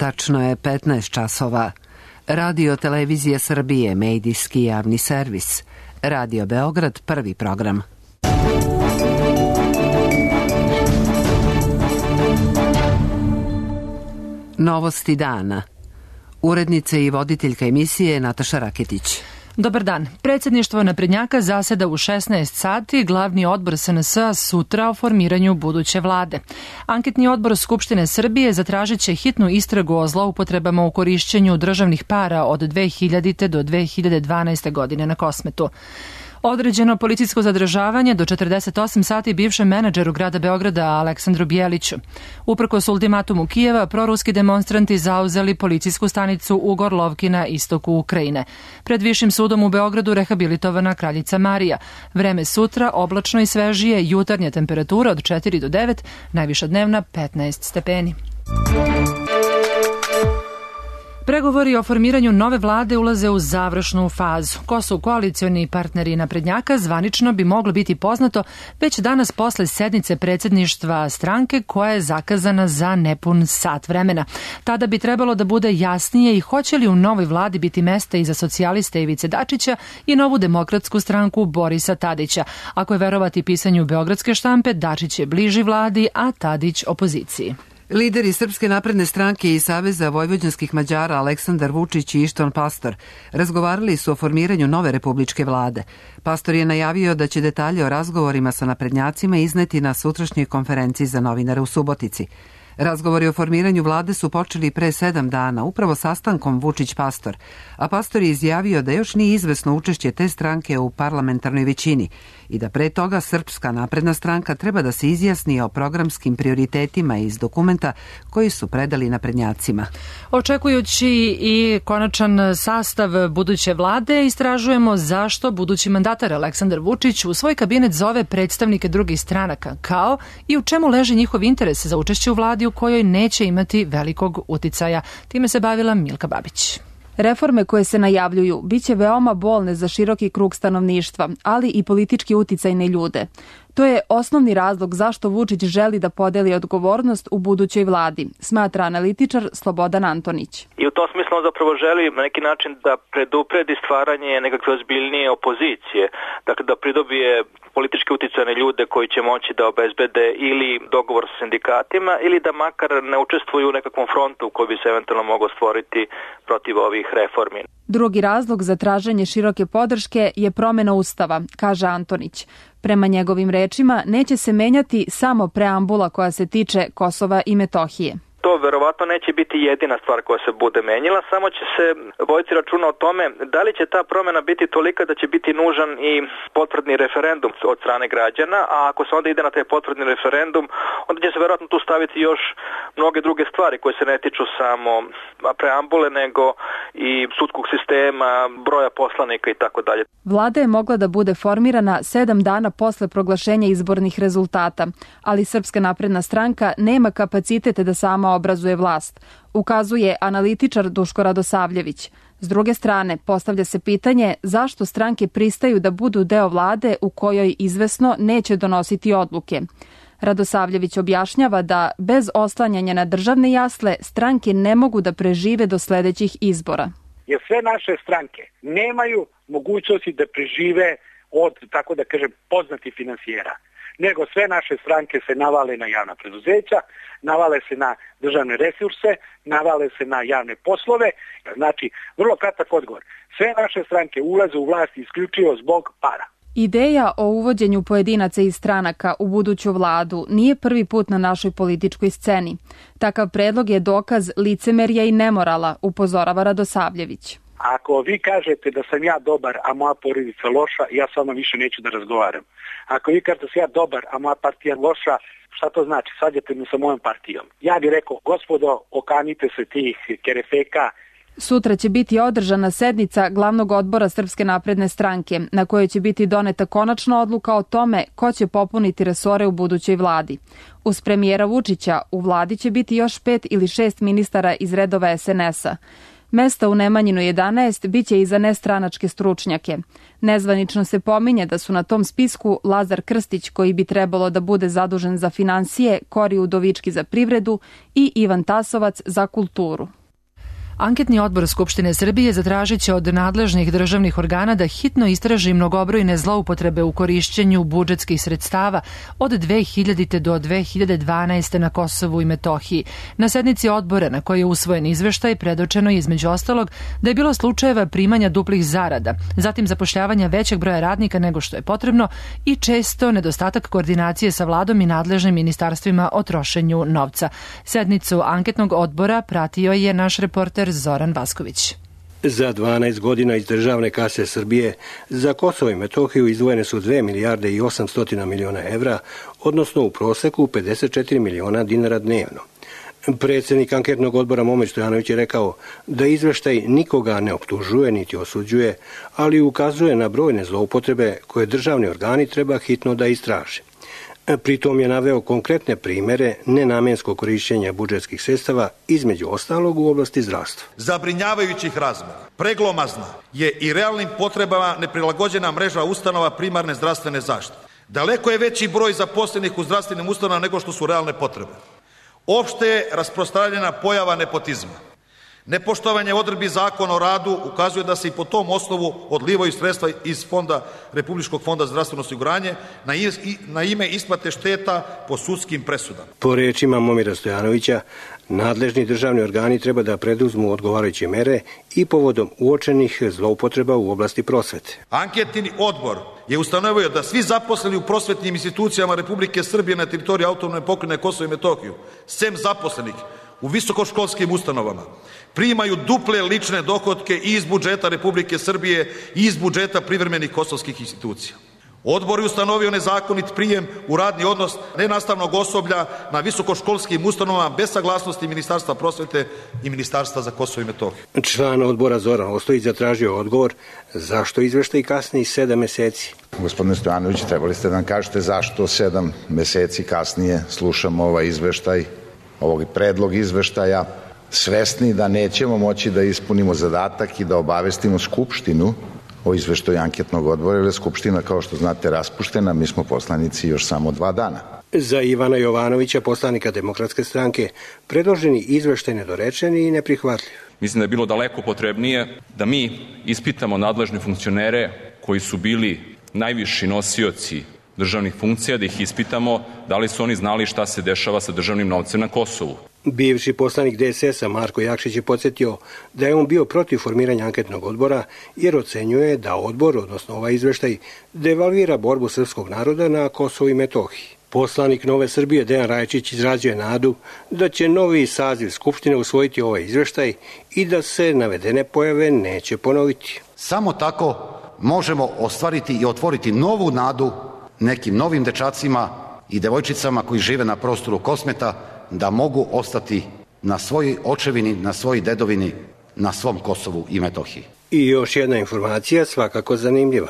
Tačno je 15 časova. Radio Televizija Srbije, medijski javni servis. Radio Beograd, prvi program. Novosti dana. Urednica i voditeljka emisije Nataša Raketić. Dobar dan. Predsjedništvo naprednjaka zaseda u 16 sati, glavni odbor SNS sutra o formiranju buduće vlade. Anketni odbor Skupštine Srbije zatražit će hitnu istragu o zloupotrebama u korišćenju državnih para od 2000. do 2012. godine na Kosmetu. Određeno policijsko zadržavanje do 48 sati bivšem menadžeru grada Beograda Aleksandru Bjeliću. Uprkos ultimatumu Kijeva, proruski demonstranti zauzeli policijsku stanicu u Gorlovki na istoku Ukrajine. Pred Višim sudom u Beogradu rehabilitovana kraljica Marija. Vreme sutra oblačno i svežije, jutarnja temperatura od 4 do 9, najviša dnevna 15 stepeni. Pregovori o formiranju nove vlade ulaze u završnu fazu. Ko su koalicioni partneri naprednjaka zvanično bi moglo biti poznato već danas posle sednice predsjedništva stranke koja je zakazana za nepun sat vremena. Tada bi trebalo da bude jasnije i hoće li u novoj vladi biti mesta i za socijaliste Ivice Dačića i novu demokratsku stranku Borisa Tadića. Ako je verovati pisanju beogradske štampe, Dačić je bliži vladi, a Tadić opoziciji. Lideri Srpske napredne stranke i Saveza vojvođanskih Mađara Aleksandar Vučić i Ištván Pastor razgovarali su o formiranju nove republičke vlade. Pastor je najavio da će detalje o razgovorima sa naprednjacima izneti na sutrašnjoj konferenciji za novinare u Subotici. Razgovori o formiranju vlade su počeli pre 7 dana, upravo sastankom Vučić-Pastor, a Pastor je izjavio da još nije izvesno učešće te stranke u parlamentarnoj većini i da pre toga Srpska napredna stranka treba da se izjasni o programskim prioritetima iz dokumenta koji su predali naprednjacima. Očekujući i konačan sastav buduće vlade, istražujemo zašto budući mandatar Aleksandar Vučić u svoj kabinet zove predstavnike drugih stranaka, kao i u čemu leži njihov interes za učešće u vladi u kojoj neće imati velikog uticaja. Time se bavila Milka Babić. Reforme koje se najavljuju biće veoma bolne za široki krug stanovništva, ali i politički uticajne ljude. To je osnovni razlog zašto Vučić želi da podeli odgovornost u budućoj vladi, smatra analitičar Slobodan Antonić. I u tom smislu on zapravo želi na neki način da predupredi stvaranje nekakve ozbiljnije opozicije, dakle da pridobije politički uticajne ljude koji će moći da obezbede ili dogovor sa sindikatima ili da makar ne učestvuju u nekakvom frontu koji bi se eventualno mogao stvoriti protiv ovih reformi. Drugi razlog za traženje široke podrške je promena Ustava, kaže Antonić. Prema njegovim rečima, neće se menjati samo preambula koja se tiče Kosova i Metohije. To verovatno neće biti jedina stvar koja se bude menjala, samo će se voditi računa o tome da li će ta promjena biti tolika da će biti nužan i potvrdni referendum od strane građana, a ako se onda ide na taj potvrdni referendum, onda će se verovatno tu staviti još mnoge druge stvari koje se ne tiču samo preambule, nego i sudskog sistema, broja poslanika i tako dalje. Vlada je mogla da bude formirana 7 dana posle proglašenja izbornih rezultata, ali Srpska napredna stranka nema kapacitete da sama obrazuje vlast, ukazuje analitičar Duško Radosavljević. S druge strane, postavlja se pitanje zašto stranke pristaju da budu deo vlade u kojoj izvesno neće donositi odluke. Radosavljević objašnjava da bez oslanjanja na državne jasle stranke ne mogu da prežive do sledećih izbora. Jer sve naše stranke nemaju mogućnosti da prežive od, tako da kažem, poznatih finansijera, nego sve naše stranke se navale na javna preduzeća, navale se na državne resurse, navale se na javne poslove. Znači, vrlo kratak odgovor. Sve naše stranke ulaze u vlast isključivo zbog para. Ideja o uvođenju pojedinaca iz stranaka u buduću vladu nije prvi put na našoj političkoj sceni. Takav predlog je dokaz licemerja i nemorala, upozorava Radosavljević. Ako vi kažete da sam ja dobar, a moja porodica loša, ja s vama više neću da razgovaram. Ako vi kažete da sam ja dobar, a moja partija loša, šta to znači? Svađate me sa mojom partijom. Ja bih rekao, gospodo, okanite se tih kerefeka. Sutra će biti održana sednica glavnog odbora Srpske napredne stranke, na kojoj će biti doneta konačna odluka o tome ko će popuniti resore u budućoj vladi. Uz premijera Vučića u vladi će biti još 5 ili 6 ministara iz redova SNS-a. Mesta u Nemanjinu 11 biće i za nestranačke stručnjake. Nezvanično se pominje da su na tom spisku Lazar Krstić, koji bi trebalo da bude zadužen za finansije, Kori Udovički za privredu i Ivan Tasovac za kulturu. Anketni odbor Skupštine Srbije zatražit će od nadležnih državnih organa da hitno istraži mnogobrojne zloupotrebe u korišćenju budžetskih sredstava od 2000. do 2012. na Kosovu i Metohiji. Na sednici odbora na kojoj je usvojen izveštaj predočeno je između ostalog da je bilo slučajeva primanja duplih zarada, zatim zapošljavanja većeg broja radnika nego što je potrebno i često nedostatak koordinacije sa vladom i nadležnim ministarstvima o trošenju novca. Sednicu anketnog odbora pratio je naš reporter Zoran Vasković. Za 12 godina iz državne kase Srbije za Kosovo i Metohiju izdvojene su 2 milijarde i 800 miliona evra, odnosno u proseku 54 miliona dinara dnevno. Predsjednik anketnog odbora Momir Stojanović je rekao da izveštaj nikoga ne optužuje niti osuđuje, ali ukazuje na brojne zloupotrebe koje državni organi treba hitno da istraže. Pritom je naveo konkretne primere nenamenskog korišćenja budžetskih sredstava, između ostalog u oblasti zdravstva. Zabrinjavajućih razmera, preglomazna je i realnim potrebama neprilagođena mreža ustanova primarne zdravstvene zaštite. Daleko je veći broj zaposlenih u zdravstvenim ustanovama nego što su realne potrebe. Opšte je rasprostranjena pojava nepotizma. Nepoštovanje odredbi Zakona o radu ukazuje da se i po tom osnovu odlivaju sredstva iz Republičkog fonda za zdravstveno osiguranje na ime isplate šteta po sudskim presudama. Po rečima Momira Stojanovića, nadležni državni organi treba da preduzmu odgovarajuće mere i povodom uočenih zloupotreba u oblasti prosvete. Anketni odbor je ustanovio da svi zaposleni u prosvetnim institucijama Republike Srbije na teritoriji autonomne pokrajine Kosovo i Metohiju, sem zaposlenih u visokoškolskim ustanovama, primaju duple lične dohotke i iz budžeta Republike Srbije i iz budžeta privremenih kosovskih institucija. Odbor je ustanovio nezakonit prijem u radni odnos nenastavnog osoblja na visokoškolskim ustanovama bez saglasnosti Ministarstva prosvete i Ministarstva za Kosovo i Metohiju. Član odbora Zoran Ostojić zatražio odgovor zašto izveštaj kasni 7 meseci. Gospodine Stojanović, trebali ste da nam kažete zašto 7 meseci kasnije slušamo ovaj izveštaj, ovog predlog izveštaja, svesni da nećemo moći da ispunimo zadatak i da obavestimo Skupštinu o izveštaju anketnog odbora, jer je Skupština, kao što znate, raspuštena, mi smo poslanici još samo 2 dana. Za Ivana Jovanovića, poslanika Demokratske stranke, predloženi izveštaj nedorečen i neprihvatljiv. Mislim da je bilo daleko potrebnije da mi ispitamo nadležne funkcionere koji su bili najviši nosioci državnih funkcija, da ih ispitamo da li su oni znali šta se dešava sa državnim novcem na Kosovu. Bivši poslanik DSS-a Marko Jakšić je podsjetio da je on bio protiv formiranja anketnog odbora jer ocenjuje da odbor, odnosno ovaj izveštaj, devalvira borbu srpskog naroda na Kosovu i Metohiji. Poslanik Nove Srbije Dejan Rajačić izrađuje nadu da će novi saziv Skupštine usvojiti ovaj izveštaj i da se navedene pojave neće ponoviti. Samo tako možemo ostvariti i otvoriti novu nadu nekim novim dečacima i devojčicama koji žive na prostoru Kosmeta da mogu ostati na svojoj očevini, na svojoj dedovini, na svom Kosovu i Metohiji. I još jedna informacija, svakako zanimljiva.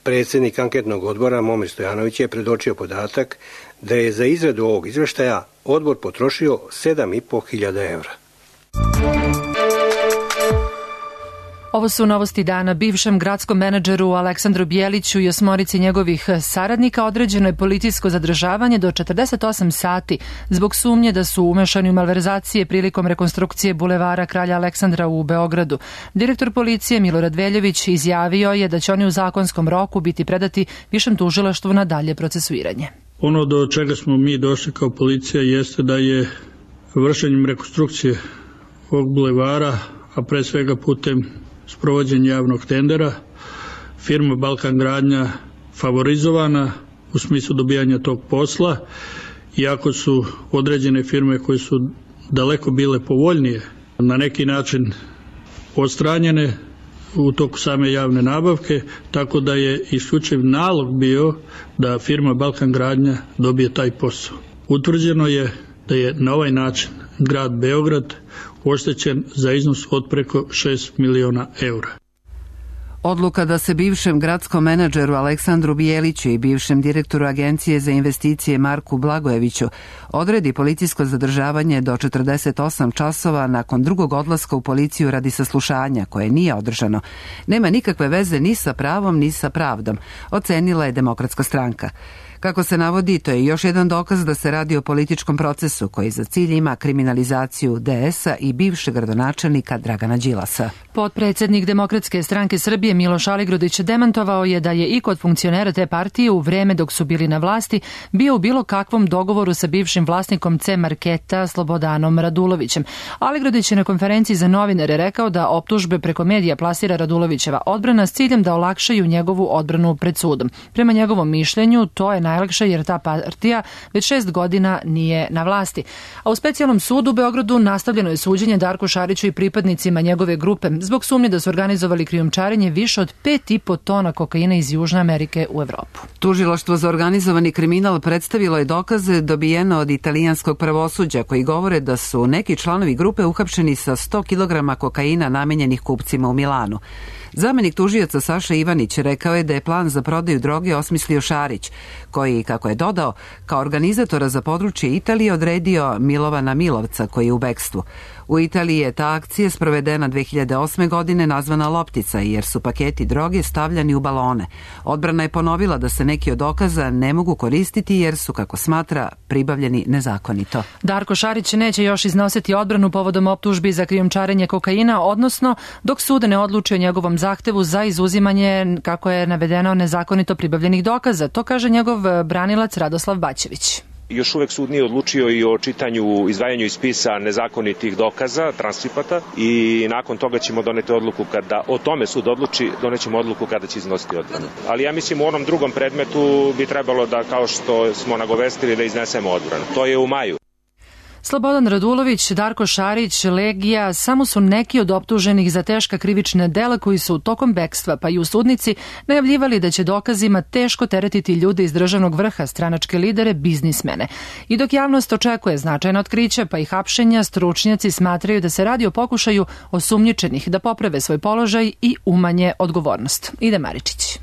Predsjednik anketnog odbora Momir Stojanović je predočio podatak da je za izradu ovog izveštaja odbor potrošio 7.500 evra. Ovo su novosti dana. Bivšem gradskom menadžeru Aleksandru Bjeliću i 8 njegovih saradnika određeno je policijsko zadržavanje do 48 sati zbog sumnje da su umešani u malverzacije prilikom rekonstrukcije bulevara Kralja Aleksandra u Beogradu. Direktor policije Milorad Veljović izjavio je da će oni u zakonskom roku biti predati višem tužilaštvu na dalje procesuiranje. Ono do čega smo mi došli kao policija jeste da je vršenjem rekonstrukcije ovog bulevara, a pre svega putem sprovođenja javnog tendera, firma Balkan Gradnja favorizovana u smislu dobijanja tog posla, iako su određene firme koje su daleko bile povoljnije na neki način odstranjene u toku same javne nabavke, tako da je isključiv nalog bio da firma Balkan Gradnja dobije taj posao. Utvrđeno je da je na ovaj način grad Beograd oštećen za iznos od preko 6 miliona evra. Odluka da se bivšem gradskom menadžeru Aleksandru Bijeliću i bivšem direktoru Agencije za investicije Marku Blagojeviću odredi policijsko zadržavanje do 48 časova nakon drugog odlaska u policiju radi saslušanja, koje nije održano, nema nikakve veze ni sa pravom ni sa pravdom, ocenila je Demokratska stranka. Kako se navodi, to je još jedan dokaz da se radi o političkom procesu koji za cilj ima kriminalizaciju DS-a i bivšeg gradonačelnika Dragana Đilasa. Potpredsednik Demokratske stranke Srbije Miloš Aligrudić demantovao je da je i kod funkcionera te partije u vreme dok su bili na vlasti bio u bilo kakvom dogovoru sa bivšim vlasnikom C Marketa Slobodanom Radulovićem. Aligrudić je na konferenciji za novinare rekao da optužbe preko medija plasira Radulovićeva odbrana s ciljem da olakšaju njegovu odbranu pred sudom. Prema njegovom mišljenju, to je najlakše jer ta partija već 6 godina nije na vlasti. A u specijalnom sudu u Beogradu nastavljeno je suđenje Darku Šariću i pripadnicima njegove grupe zbog sumnje da su organizovali krijumčarenje više od 5,5 tona kokaina iz Južne Amerike u Evropu. Tužilaštvo za organizovani kriminal predstavilo je dokaze dobijene od italijanskog pravosuđa koji govore da su neki članovi grupe uhapšeni sa 100 kg kokaina namenjenih kupcima u Milanu. Zamenik tužioca Saša Ivanić rekao je da je plan za prodaju droge osmislio Šarić, koji, kako je dodao, kao organizatora za područje Italije odredio Milovana Milovca, koji je u bekstvu. U Italiji je ta akcija sprovedena 2008. godine nazvana Loptica, jer su paketi droge stavljani u balone. Odbrana je ponovila da se neki od dokaza ne mogu koristiti jer su, kako smatra, pribavljeni nezakonito. Darko Šarić neće još iznositi odbranu povodom optužbi za krijumčarenje kokaina, odnosno dok sud ne odluči o njegovom zahtevu za izuzimanje, kako je navedeno, nezakonito pribavljenih dokaza. To kaže njegov branilac Radoslav Baćević. Još uvek sud nije odlučio i o čitanju, izdvajanju iz spisa nezakonitih dokaza, transkripata, i nakon toga ćemo doneti odluku kada o tome sud odluči, donećemo odluku kada će iznositi odbranu. Ali ja mislim u onom drugom predmetu bi trebalo da, kao što smo nagovestili, da iznesemo odbranu. To je u maju. Slobodan Radulović, Darko Šarić, Legija samo su neki od optuženih za teška krivična dela koji su tokom bekstva pa i u sudnici najavljivali da će dokazima teško teretiti ljude iz državnog vrha, stranačke lidere, biznismene. I dok javnost očekuje značajna otkrića pa i hapšenja, stručnjaci smatraju da se radi o pokušaju osumnjičenih da poprave svoj položaj i umanje odgovornost. Ide Maričić.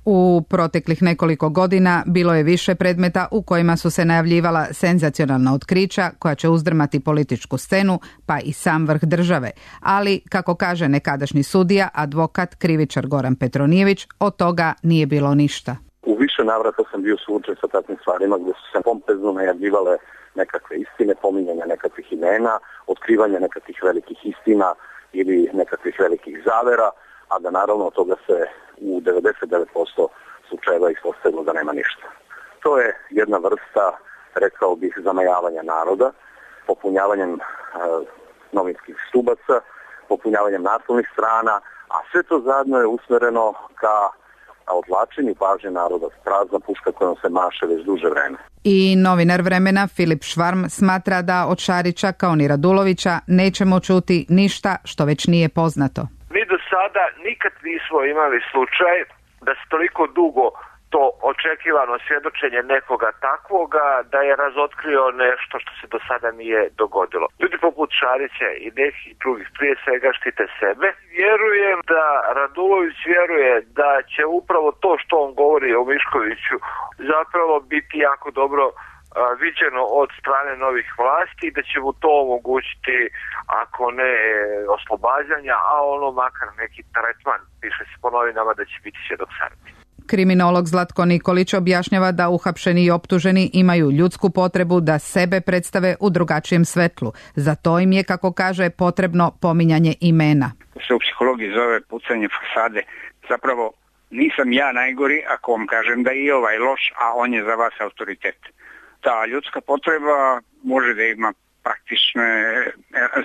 U proteklih nekoliko godina bilo je više predmeta u kojima su se najavljivala senzacionalna otkrića koja će uzdrmati političku scenu, pa i sam vrh države. Ali, kako kaže nekadašnji sudija, advokat, krivičar Goran Petronijević, od toga nije bilo ništa. U više navrata sam bio suočen sa takvim stvarima gdje su se pompezno najavljivale nekakve istine, pominjanja nekakvih imena, otkrivanja nekakvih velikih istina ili nekakvih velikih zavera, a da naravno od toga se u 99% slučajeva ispostavilo da nema ništa. To je jedna vrsta, rekao bih, zamajavanja naroda, popunjavanjem novinskih stubaca, popunjavanjem naslovnih strana, a sve to zajedno je usmereno ka odvlačenju pažnje naroda, prazna puška kojom se maše već duže vreme. I novinar Vremena Filip Švarm smatra da od Šarića kao ni Radulovića nećemo čuti ništa što već nije poznato. Mi do sada nikad nismo imali slučaj da se toliko dugo to očekivano svjedočenje nekoga takvoga da je razotkrio nešto što se do sada nije dogodilo. Ljudi poput Šarića i nekih drugih prije svega štite sebe. Vjerujem da Radulović vjeruje da će upravo to što on govori o Miškoviću zapravo biti jako dobro viđeno od strane novih vlasti i da će mu to omogućiti, ako ne oslobađanja, a ono makar neki tretman, piše se po novinama da će biti svjedok smrti. Kriminolog Zlatko Nikolić objašnjava da uhapšeni i optuženi imaju ljudsku potrebu da sebe predstave u drugačijem svetlu. Za to im je, kako kaže, potrebno pominjanje imena. Se u psihologiji zove pucanje fasade. Zapravo nisam ja najgori ako vam kažem da je i ovaj loš, a on je za vas autoritet. Ta ljudska potreba može da ima praktične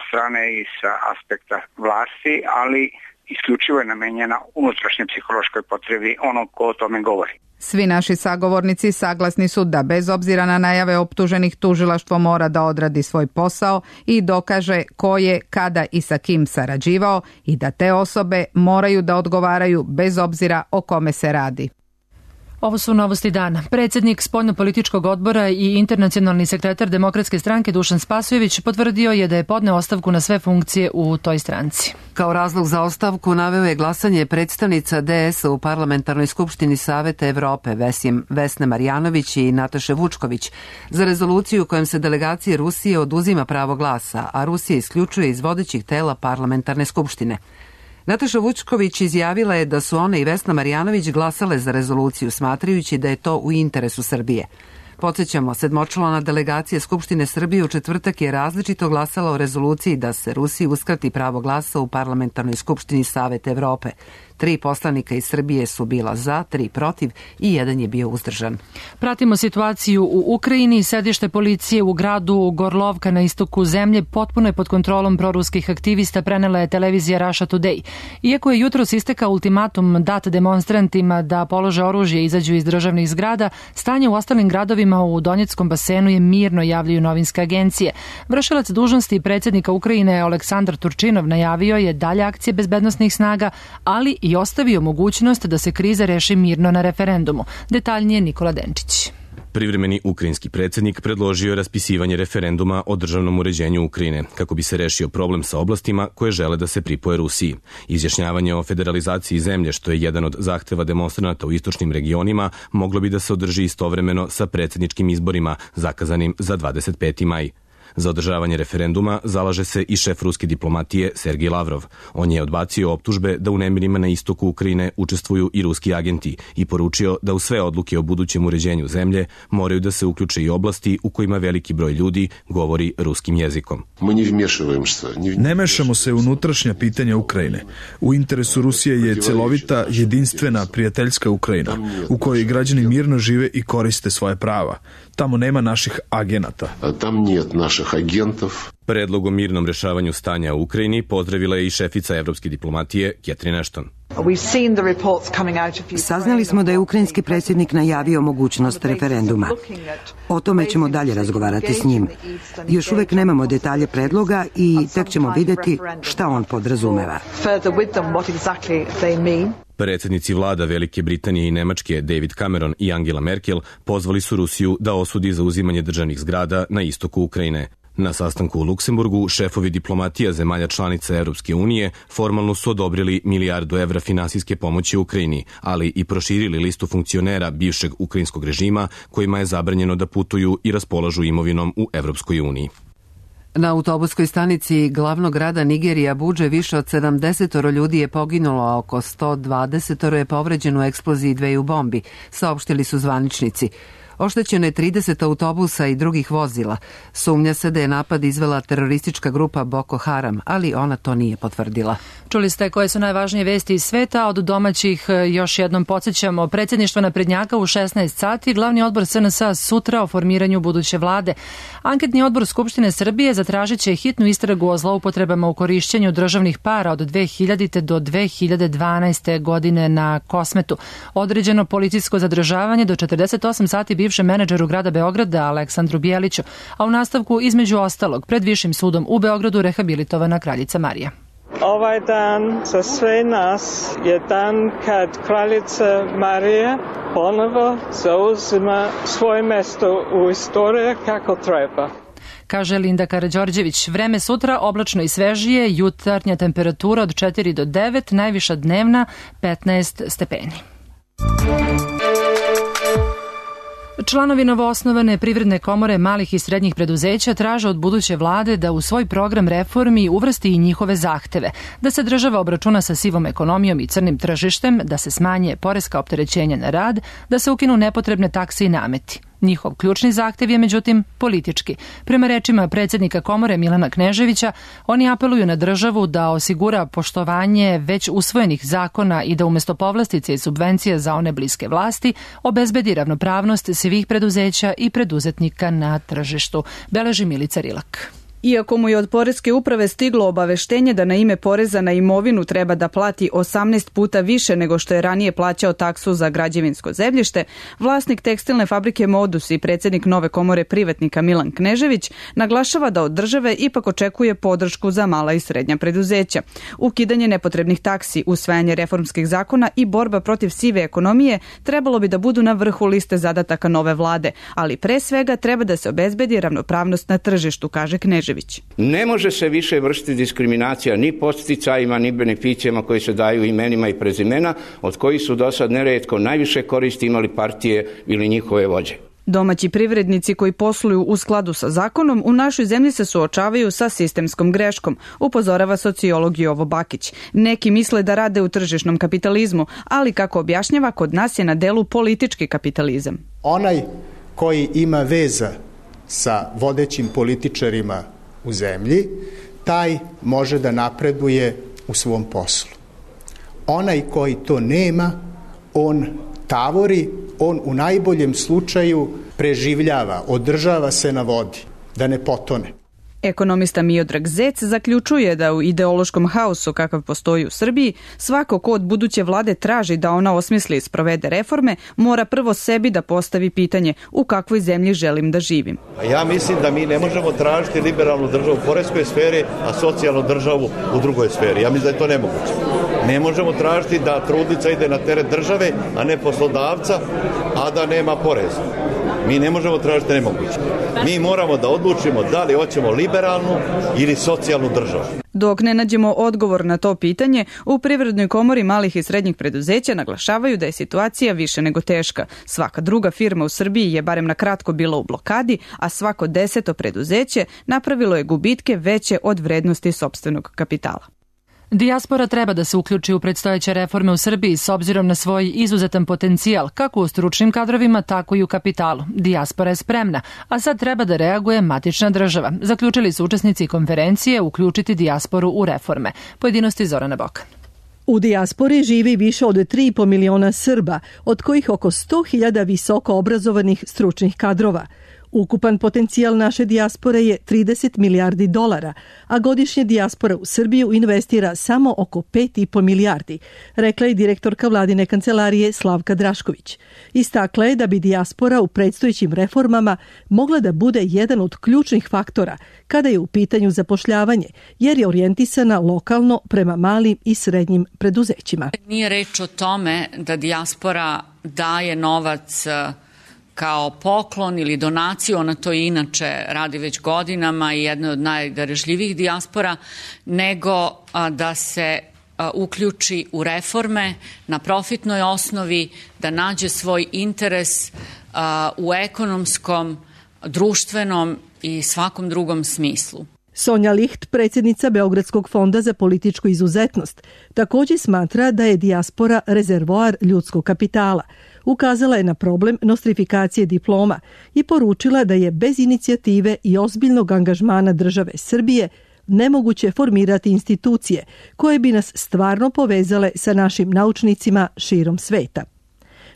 strane i sa aspekta vlasti, ali isključivo je namenjena unutrašnjoj psihološkoj potrebi onog ko o tome govori. Svi naši sagovornici saglasni su da bez obzira na najave optuženih tužilaštvo mora da odradi svoj posao i dokaže ko je, kada i sa kim sarađivao i da te osobe moraju da odgovaraju bez obzira o kome se radi. Ovo su novosti dana. Predsjednik spoljnopolitičkog odbora i internacionalni sekretar Demokratske stranke Dušan Spasojević potvrdio je da je podneo ostavku na sve funkcije u toj stranci. Kao razlog za ostavku naveo je glasanje predstavnica DS-a u Parlamentarnoj skupštini Saveta Evrope Vesne Marjanović i Nataše Vučković za rezoluciju kojom se delegaciji Rusije oduzima pravo glasa, a Rusija isključuje iz vodećih tela Parlamentarne skupštine. Nataša Vučković izjavila je da su ona i Vesna Marjanović glasale za rezoluciju, smatrajući da je to u interesu Srbije. Podsjećamo, sedmočlana delegacija Skupštine Srbije u četvrtak je različito glasala o rezoluciji da se Rusiji uskrati pravo glasa u Parlamentarnoj skupštini Saveta Evrope. 3 poslanika iz Srbije su bila za, 3 protiv i 1 je bio uzdržan. Pratimo situaciju u Ukrajini. Sedište policije u gradu Gorlovka na istoku zemlje potpuno je pod kontrolom proruskih aktivista, prenela je televizija Russia Today. Iako je jutros istekao ultimatum dat demonstrantima da polože oružje i izađu iz državnih zgrada, stanje u ostalim gradovima u Donjeckom basenu je mirno, javljaju novinske agencije. Vršilac dužnosti predsjednika Ukrajine Aleksandar Turčinov najavio je dalje akcije bezbednosnih snaga, ali i ostavio mogućnost da se kriza reši mirno na referendumu. Detaljnije Nikola Denčić. Privremeni ukrajinski predsjednik predložio je raspisivanje referenduma o državnom uređenju Ukrajine, kako bi se rešio problem sa oblastima koje žele da se pripoje Rusiji. Izjašnjavanje o federalizaciji zemlje, što je jedan od zahteva demonstranata u istočnim regionima, moglo bi da se održi istovremeno sa predsjedničkim izborima, zakazanim za 25. maj. Za održavanje referenduma zalaže se i šef ruske diplomatije Sergej Lavrov. On je odbacio optužbe da u nemirima na istoku Ukrajine učestvuju i ruski agenti i poručio da u sve odluke o budućem uređenju zemlje moraju da se uključe i oblasti u kojima veliki broj ljudi govori ruskim jezikom. Ne mešamo se u unutrašnja pitanja Ukrajine. U interesu Rusije je celovita, jedinstvena, prijateljska Ukrajina, u kojoj građani mirno žive i koriste svoje prava. Tamo nema naših agenata. Predlog o mirnom rešavanju stanja u Ukrajini pozdravila je i šefica evropske diplomatije Catherine Ashton. Saznali smo da je ukrajinski predsjednik najavio mogućnost referenduma. O tome ćemo dalje razgovarati s njim. Još uvek nemamo detalje predloga i tek ćemo vidjeti šta on podrazumeva. Predsjednici vlada Velike Britanije i Nemačke David Cameron i Angela Merkel pozvali su Rusiju da osudi zauzimanje državnih zgrada na istoku Ukrajine. Na sastanku u Luksemburgu šefovi diplomatija zemalja članica Europske unije formalno su odobrili milijardu evra finansijske pomoći Ukrajini, ali i proširili listu funkcionera bivšeg ukrajinskog režima kojima je zabranjeno da putuju i raspolažu imovinom u Europskoj uniji. Na autobuskoj stanici glavnog grada Nigerije Abudže više od 70 ljudi je poginulo, a oko 120 je povređeno u eksploziji 2 bombi, saopštili su zvaničnici. Oštećeno je 30 autobusa i drugih vozila. Sumnja se da je napad izvela teroristička grupa Boko Haram, ali ona to nije potvrdila. Čuli ste koje su najvažnije vesti iz sveta. Od domaćih još jednom podsjećamo. Predsjedništvo naprednjaka u 16 sati, glavni odbor SNS sutra o formiranju buduće vlade. Anketni odbor Skupštine Srbije zatražit će hitnu istragu o zloupotrebama u korišćenju državnih para od 2000. do 2012. godine na Kosmetu. Određeno policijsko zadržavanje do 48 sati bivšem menadžeru grada Beograda Aleksandru Bijeliću, a u nastavku između ostalog pred Višim sudom u Beogradu rehabilitovana kraljica Marija. Ovaj dan za sve nas je dan kad kraljica Marija ponovo zauzima svoje mesto u istoriji kako treba. Kaže Linda Karađorđević. Vreme sutra oblačno i svežije, jutarnja temperatura od 4 do 9, najviša dnevna 15 stepeni. Članovi novoosnovane Privredne komore malih i srednjih preduzeća traže od buduće vlade da u svoj program reformi uvrsti i njihove zahteve, da se država obračuna sa sivom ekonomijom i crnim tržištem, da se smanje poreska opterećenja na rad, da se ukinu nepotrebne takse i nameti. Njihov ključni zahtev je, međutim, politički. Prema rečima predsjednika komore Milana Kneževića, oni apeluju na državu da osigura poštovanje već usvojenih zakona i da umjesto povlastice i subvencija za one bliske vlasti obezbedi ravnopravnost svih preduzeća i preduzetnika na tržištu, beleži Milica Rilak. Iako mu je od poreske uprave stiglo obaveštenje da na ime poreza na imovinu treba da plati 18 puta više nego što je ranije plaćao taksu za građevinsko zemljište, vlasnik tekstilne fabrike Modus i predsjednik nove komore privatnika Milan Knežević naglašava da od države ipak očekuje podršku za mala i srednja preduzeća. Ukidanje nepotrebnih taksi, usvajanje reformskih zakona i borba protiv sive ekonomije trebalo bi da budu na vrhu liste zadataka nove vlade, ali pre svega treba da se obezbedi ravnopravnost na tržištu, kaže Knežević. Ne može se više vršiti diskriminacija ni podsticajima, ni beneficijama koji se daju imenima i prezimena, od kojih su do sad neretko najviše koristi imali partije ili njihove vođe. Domaći privrednici koji posluju u skladu sa zakonom u našoj zemlji se suočavaju sa sistemskom greškom, upozorava sociolog Jovo Bakić. Neki misle da rade u tržišnom kapitalizmu, ali kako objašnjava, kod nas je na delu politički kapitalizam. Onaj koji ima veza sa vodećim političarima u zemlji, taj može da napreduje u svom poslu. Onaj koji to nema, on tavori, on u najboljem slučaju preživljava, održava se na vodi, da ne potone. Ekonomista Miodrag Zec zaključuje da u ideološkom haosu kakav postoji u Srbiji, svako ko od buduće vlade traži da ona osmisli i sprovede reforme, mora prvo sebi da postavi pitanje u kakvoj zemlji želim da živim. Ja mislim da mi ne možemo tražiti liberalnu državu u poreskoj sferi, a socijalnu državu u drugoj sferi. Ja mislim da je to nemoguće. Ne možemo tražiti da trudnica ide na teret države, a ne poslodavca, a da nema poreza. Mi ne možemo tražiti nemoguće. Mi moramo da odlučimo da li hoćemo liberalnu ili socijalnu državu. Dok ne nađemo odgovor na to pitanje, u Privrednoj komori malih i srednjih preduzeća naglašavaju da je situacija više nego teška. Svaka druga firma u Srbiji je barem na kratko bila u blokadi, a svako 10. preduzeće napravilo je gubitke veće od vrednosti sopstvenog kapitala. Dijaspora treba da se uključi u predstojeće reforme u Srbiji s obzirom na svoj izuzetan potencijal, kako u stručnim kadrovima, tako i u kapitalu. Dijaspora je spremna, a sad treba da reaguje matična država. Zaključili su učesnici konferencije uključiti dijasporu u reforme. Pojedinosti Zorana Bokan. U dijaspori živi više od 3,5 miliona Srba, od kojih oko 100.000 visoko obrazovanih stručnih kadrova. Ukupan potencijal naše dijaspore je 30 milijardi dolara, a godišnje dijaspora u Srbiju investira samo oko 5,5 milijardi, rekla je direktorka vladine kancelarije Slavka Drašković. Istakla je da bi dijaspora u predstojećim reformama mogla da bude jedan od ključnih faktora kada je u pitanju zapošljavanje, jer je orijentisana lokalno prema malim i srednjim preduzećima. Nije reč o tome da dijaspora daje novac kao poklon ili donaciju, ona to inače radi već godinama i jedna od najdarežljivijih dijaspora, nego da se uključi u reforme na profitnoj osnovi, da nađe svoj interes u ekonomskom, društvenom i svakom drugom smislu. Sonja Licht, predsjednica Beogradskog fonda za političku izuzetnost, također smatra da je dijaspora rezervoar ljudskog kapitala. Ukazala je na problem nostrifikacije diploma i poručila da je bez inicijative i ozbiljnog angažmana države Srbije nemoguće formirati institucije koje bi nas stvarno povezale sa našim naučnicima širom sveta.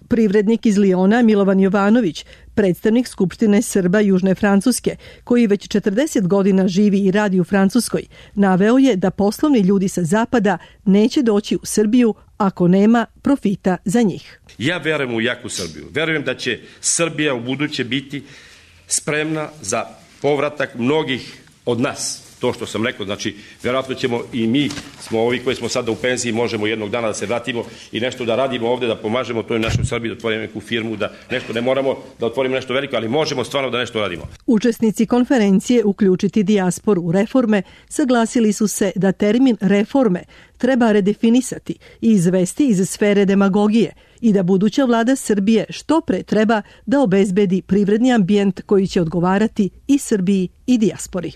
Privrednik iz Liona Milovan Jovanović, predstavnik Skupštine Srba Južne Francuske, koji već 40 godina živi i radi u Francuskoj, naveo je da poslovni ljudi sa zapada neće doći u Srbiju ako nema profita za njih. Ja verujem u jaku Srbiju. Verujem da će Srbija u buduće biti spremna za povratak mnogih od nas. To što sam rekao, znači, vjerojatno ćemo i mi, smo ovi koji smo sada u penziji, možemo jednog dana da se vratimo i nešto da radimo ovdje, da pomažemo toj našoj Srbiji, da otvorimo neku firmu, da nešto, ne moramo da otvorimo nešto veliko, ali možemo stvarno da nešto radimo. Učesnici konferencije uključiti dijasporu u reforme saglasili su se da termin reforme treba redefinisati i izvesti iz sfere demagogije i da buduća vlada Srbije što pre treba da obezbedi privredni ambijent koji će odgovarati i Srbiji i dijaspori.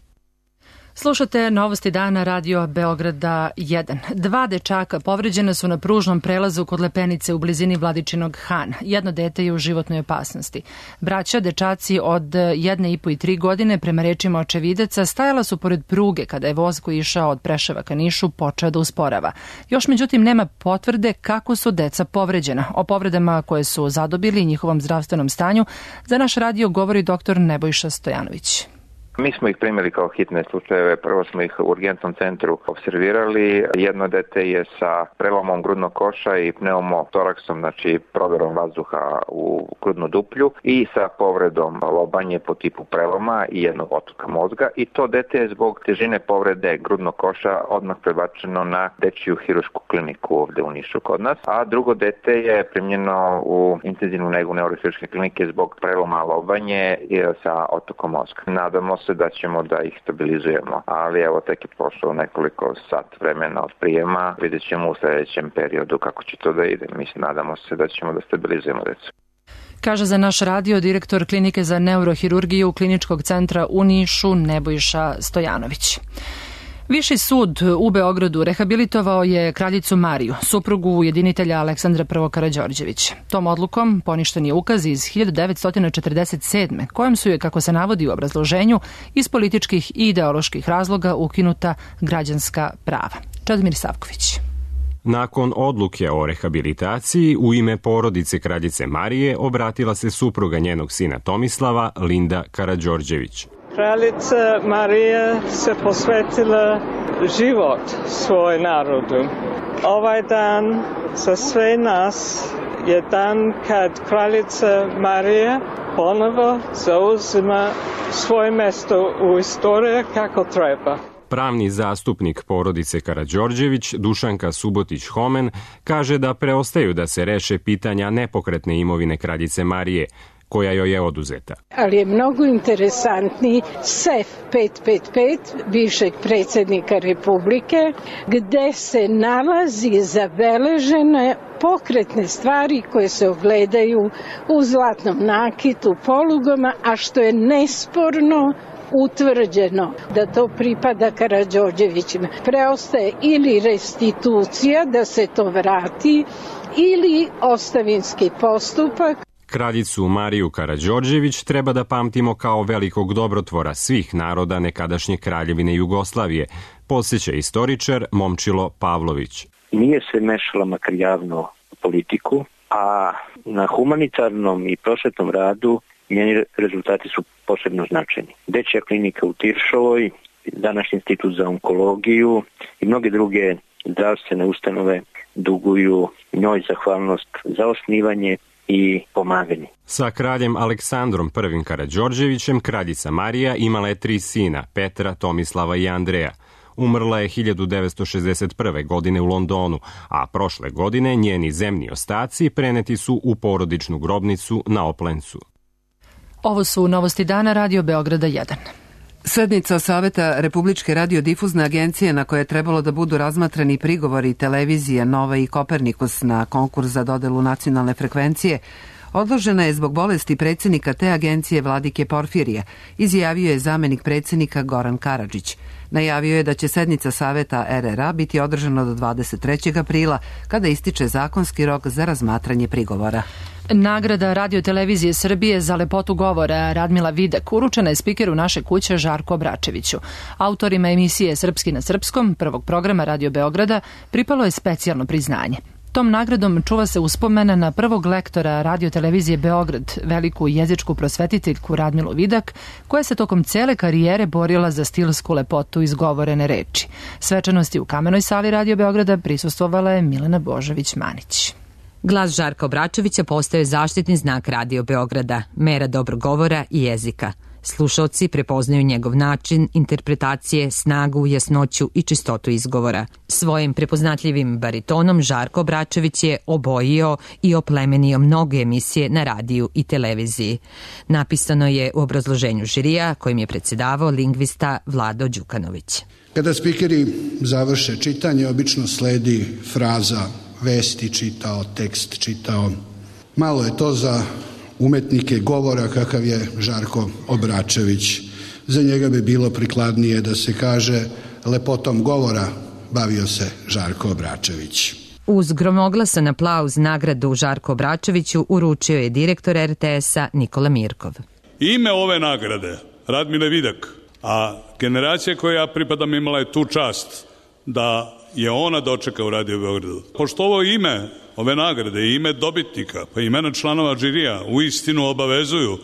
Slušate Novosti dana Radio Beograda 1. 2 dečaka povređena su na pružnom prelazu kod Lepenice u blizini Vladičinog Hana. Jedno dete je u životnoj opasnosti. Braća, dečaci od 1,5 i 3 godine, prema rečima očevidaca, stajala su pored pruge kada je voz koji išao od Preševa ka Nišu počeo da usporava. Još međutim nema potvrde kako su deca povređena. O povredama koje su zadobili i njihovom zdravstvenom stanju za naš radio govori dr. Nebojša Stojanović. Mi smo ih primili kao hitne slučajeve. Prvo smo ih u urgentnom centru observirali. Jedno dete je sa prelomom grudnog koša i pneumotoraksom, znači proverom vazduha u grudnu duplju i sa povredom lobanje po tipu preloma i jednog otoka mozga. I to dete je zbog težine povrede grudnog koša odmah prebačeno na dečiju hirušku kliniku ovde u Nišu kod nas. A drugo dete je primljeno u intenzivnu negu neurohirurške klinike zbog preloma lobanje sa otokom mozga. Nadamo se da ćemo da ih stabilizujemo, ali evo tek je prošlo nekoliko sat vremena od prijema, vidjet ćemo u sljedećem periodu kako će to da ide. Mislim, nadamo se da ćemo da stabilizujemo decu. Kaže za naš radio direktor klinike za neurohirurgiju Kliničkog centra u Nišu Nebojša Stojanović. Viši sud u Beogradu rehabilitovao je kraljicu Mariju, suprugu ujedinitelja Aleksandra I. Karađorđevića. Tom odlukom poništen je ukaz iz 1947. kojom su je, kako se navodi u obrazloženju, iz političkih i ideoloških razloga ukinuta građanska prava. Čedomir Savković. Nakon odluke o rehabilitaciji, u ime porodice kraljice Marije obratila se supruga njenog sina Tomislava, Linda Karađorđević. Kraljica Marija se posvetila život svoj narodu. Ovaj dan za sve nas je dan kad kraljica Marija ponovo zauzima svoje mesto u istoriji kako treba. Pravni zastupnik porodice Karađorđević, Dušanka Subotić-Homen, kaže da preostaju da se reše pitanja nepokretne imovine kraljice Marije, koja joj je oduzeta. Ali je mnogo interesantniji SEF 555 bivšeg predsjednika Republike, gde se nalazi zabeležene pokretne stvari koje se ogledaju u zlatnom nakitu, polugama, a što je nesporno utvrđeno da to pripada Karađorđevićima. Preostaje ili restitucija da se to vrati ili ostavinski postupak. Kraljicu Mariju Karađorđević treba da pamtimo kao velikog dobrotvora svih naroda nekadašnje Kraljevine Jugoslavije, podsjeća istoričar Momčilo Pavlović. Nije se mešala makar javno u politiku, a na humanitarnom i prosvetnom radu njeni rezultati su posebno značajni. Dečja klinika u Tiršovoj, današnji institut za onkologiju i mnoge druge zdravstvene ustanove duguju njoj zahvalnost za osnivanje i pomaganje. Sa kraljem Aleksandrom I. Karađorđevićem kraljica Marija imala je 3 sina, Petra, Tomislava i Andreja. Umrla je 1961. godine u Londonu, a prošle godine njeni zemni ostaci preneti su u porodičnu grobnicu na Oplencu. Ovo su novosti dana Radio Beograda 1. Sednica Saveta Republičke radiodifuzne agencije na koje je trebalo da budu razmatrani prigovori televizije Nova i Kopernikus na konkurs za dodelu nacionalne frekvencije odložena je zbog bolesti predsjednika te agencije Vladike Porfirija, izjavio je zamenik predsjednika Goran Karadžić. Najavio je da će sednica Saveta RRA biti održana do 23. aprila, kada ističe zakonski rok za razmatranje prigovora. Nagrada Radio-televizije Srbije za lepotu govora Radmila Vidak uručena je spikeru naše kuće Žarku Obračeviću. Autorima emisije Srpski na srpskom, prvog programa Radio Beograda, pripalo je specijalno priznanje. Tom nagradom čuva se uspomena na prvog lektora Radio-televizije Beograd, veliku jezičku prosvetiteljku Radmilu Vidak, koja se tokom cele karijere borila za stilsku lepotu izgovorene reči. Svečanosti u Kamenoj sali Radio Beograda prisustvovala je Milena Božović-Manić. Glas Žarka Obračevića postao je zaštitni znak Radio Beograda, mera dobrog govora i jezika. Slušaoci prepoznaju njegov način, interpretacije, snagu, jasnoću i čistotu izgovora. Svojim prepoznatljivim baritonom Žarko Obračević je obojio i oplemenio mnoge emisije na radiju i televiziji. Napisano je u obrazloženju žirija kojim je predsjedavao lingvista Vlado Đukanović. Kada spikeri završe čitanje, obično sledi fraza vesti čitao, tekst čitao. Malo je to za umetnike govora kakav je Žarko Obračević. Za njega bi bilo prikladnije da se kaže lepotom govora bavio se Žarko Obračević. Uz gromoglasan aplauz nagradu Žarko Obračeviću uručio je direktor RTS-a Nikola Mirkov. Ime ove nagrade, Radmile Vidak, a generacija koja ja pripadam imala je tu čast da je ona dočeka u Radio Beogradu. Pošto ovo ime ove nagrade i ime dobitnika, pa imena članova žirija u istinu obavezuju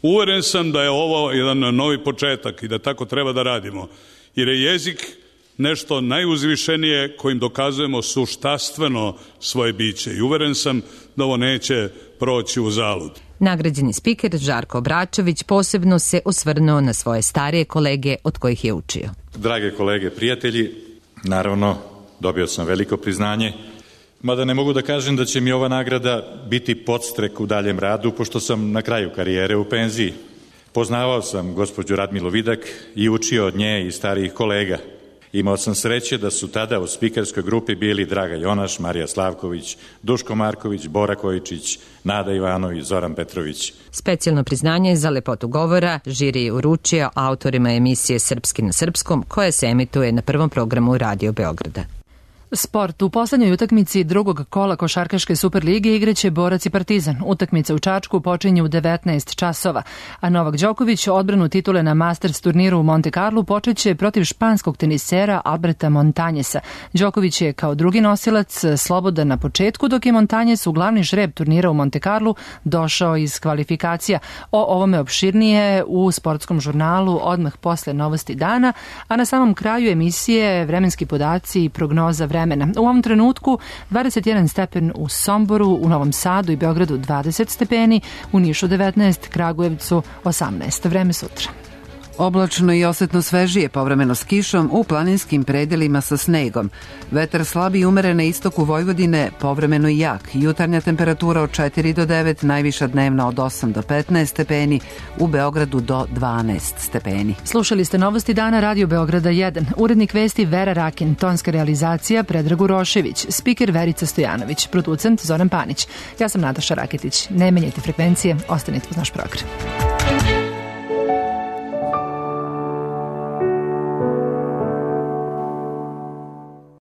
Uveren sam da je ovo jedan novi početak i da tako treba da radimo, jer je jezik nešto najuzvišenije kojim dokazujemo suštastveno svoje biće i uveren sam da ovo neće proći u zalud. Nagrađeni spiker Žarko Obračević posebno se osvrnuo na svoje starije kolege od kojih je učio. Drage kolege, prijatelji, naravno dobio sam veliko priznanje, mada ne mogu da kažem da će mi ova nagrada biti podstrek u daljem radu, pošto sam na kraju karijere u penziji. Poznavao sam gospođu Radmilu Vidak i učio od nje i starijih kolega. Imao sam sreće da su tada u spikerskoj grupi bili Draga Jonaš, Marija Slavković, Duško Marković, Bora Kojičić, Nada Ivanović, Zoran Petrović. Specijalno priznanje za lepotu govora žiri je uručio autorima emisije Srpski na srpskom, koja se emituje na prvom programu Radio Beograda. Sport. U poslednjoj utakmici drugog kola košarkaške Superlige igraće Borac i Partizan. Utakmica u Čačku počinje u 19 časova, a Novak Đoković odbranu titule na Masters turniru u Monte Carlo počeće protiv španskog tenisera Alberta Montañesa. Đoković je kao drugi nosilac slobodan na početku, dok je Montañes u glavni žreb turnira u Monte Carlo došao iz kvalifikacija. O ovome opširnije u sportskom žurnalu odmah posle novosti dana, a na samom kraju emisije vremenski podaci i prognoza vremena. U ovom trenutku 21 stepen u Somboru, u Novom Sadu i Beogradu 20 stepeni, u Nišu 19, Kragujevcu 18. Vreme sutra. Oblačno i osetno svežije, povremeno s kišom, u planinskim predelima sa snegom. Vetar slabi i umeren na istoku Vojvodine, povremeno i jak. Jutarnja temperatura od 4 do 9, najviša dnevna od 8 do 15 stepeni, u Beogradu do 12 stepeni. Slušali ste novosti dana Radio Beograda 1. Urednik vesti Vera Rakin, tonska realizacija Predrag Urošević, spiker Verica Stojanović, producent Zoran Panić. Ja sam Nataša Raketić. Ne menjajte frekvencije, ostanite uz naš program.